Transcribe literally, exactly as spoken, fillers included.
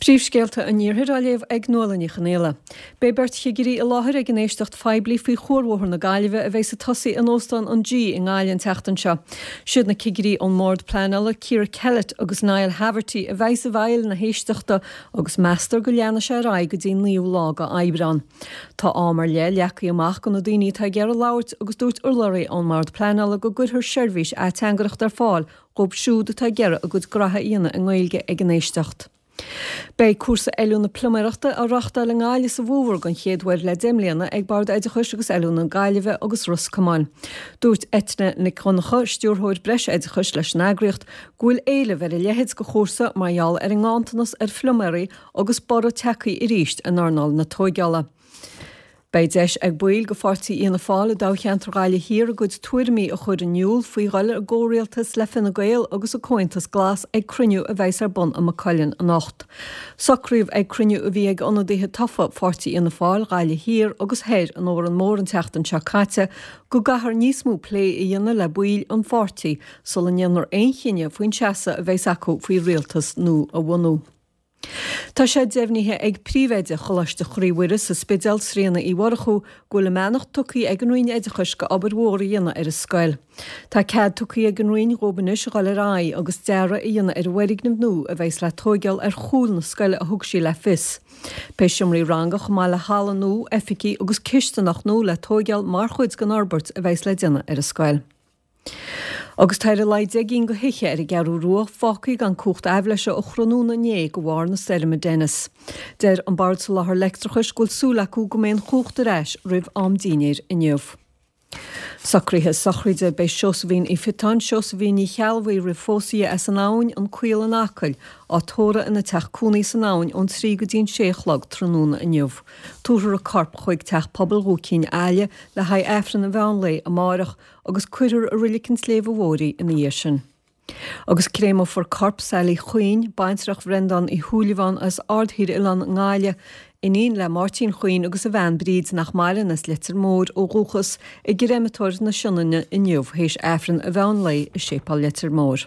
Príomhscéalta an Iarthair á léamh ag Nuala Ní Chonghaile. Beidh beirt chigirí i láthair ag an éisteacht phoiblí faoi Chuarbhóthar na Gaillimhe a bheidh ag tosaí in Óstán an G i nGaillimh an tseachtain seo. Siad na cigirí ón mBord Pleanála Ciara Kellett agus Niall Haverty a bheidh i bhfeighil na héisteachta agus meastar go leanfaidh sé ar aghaidh go dtí an naoú lá d'Aibreán. Tá am ar leith leagtha amach do na daoine atá ag iarraidh labhairt agus dúirt urlabhraí ón mBord Pleanála go gcuirfear seirbhís ateangaireachta ar fáil dóibh siúd atá ag iarraidh a gcuid graithe a dhéanamh i nGaeilge ag an éisteacht. Beidh cúrsa oiliúna pluiméireachta á reáchtáil i nGaillimh sa bhfómhar den chéad uair le deich mbliana ag Bord Oideachais agus Oiliúna na Gaillimhe agus Ros Comáin. Dúirt Eithne Nic Dhonncha, Stiúrthóir Breisoideachais leis an eagraíocht, go bhfuil éileamh ar a leithéid de chúrsa mar gheall ar an nganntanas ar phluiméirí agus borradh tagtha arís in earnáil na tóigeála. Beidh deis ag baill de pháirtí Fhianna Fáil i dtoghcheantar Ghaillimh Thiar a gcuid tuairimí a chur in iúl faoi dhul i gcomhrialtas le Fine Gael agus an Comhaontas Glas ag cruinniú a bheas ar bun i Maigh Cuilinn anocht. Socraíodh ag cruinniú a bhí ag ionadaithe tofa pháirtí Fhianna Fáil, Ghaillimh Thiar agus Thoir in Órán Mór an tseachtain seo caite go gcaithfear níos mó plé a dhéanamh le baill an pháirtí sula ndéanfar aon chinneadh faoin seasamh a bheas acu faoi rialtas nua a bhunú. Tá sé deimhnithe ag príomhoide Choláiste Chroí Mhuire sa Spidéal, Tríona Uí Mhurchú, go bhfuil a mbeannacht tugtha ag an Roinn Oideachais go obair mhór a dhéanamh ar an scoil. Tá cead tugtha ag an Roinn dhóibh anois a dhul ar aghaidh agus dearadh a dhéanamh ar an bhfoirgneamh nua a bheas le tóigeáil ar chúl na scoile a thug sí le fios. Beidh seomraí ranga chomh maith le halla nua, oifigí agus cisteanach nua le tóigeáil mar chuid den fhorbairt a bheas le déanamh ar an scoil. Agus tá ar a laghad deich gcinn de thithe ar an gCeathrú Rua fágtha gan cumhacht aibhléise ó thráthnóna inné de bharr na stoirme Dennis. Deir an Bord Soláthair Leictreachais go bhfuil súil acu go mbeidh an chumhacht ar ais roimh am dinnéir inniu. Socruithe sochraide Beidh Seosaimhín Uí Phiotáin, Seosaimhín Ní Cheallbhuí roimh phósadh di as an Abhainn, an Caol in Acaill, á tórramh ina teach cónaí san Abhainn ón trí go dtí an sé a chlog tráthnóna inniu. Tabharfar a corp chuig Teach Pobail Dhúichín Aille le haghaidh Aifreann an mheán lae amárach agus cuirfear i Reilig an tSléibhe Mhóir í ina dhiaidh sin. Agus créamófar corp Sally Chuinn, baintreach Bhreandán Uí Shúilleabháin as Aird Thír Oileán i nGaillimh, iníon le Máirtín Chuinn agus a bhean Bríd nach maireann as Leitir Móir ó dhúchas, i gcreimeatóir na Sionainne inniu théis Aifreann an mheán lae i Séipéal Leitir Móir.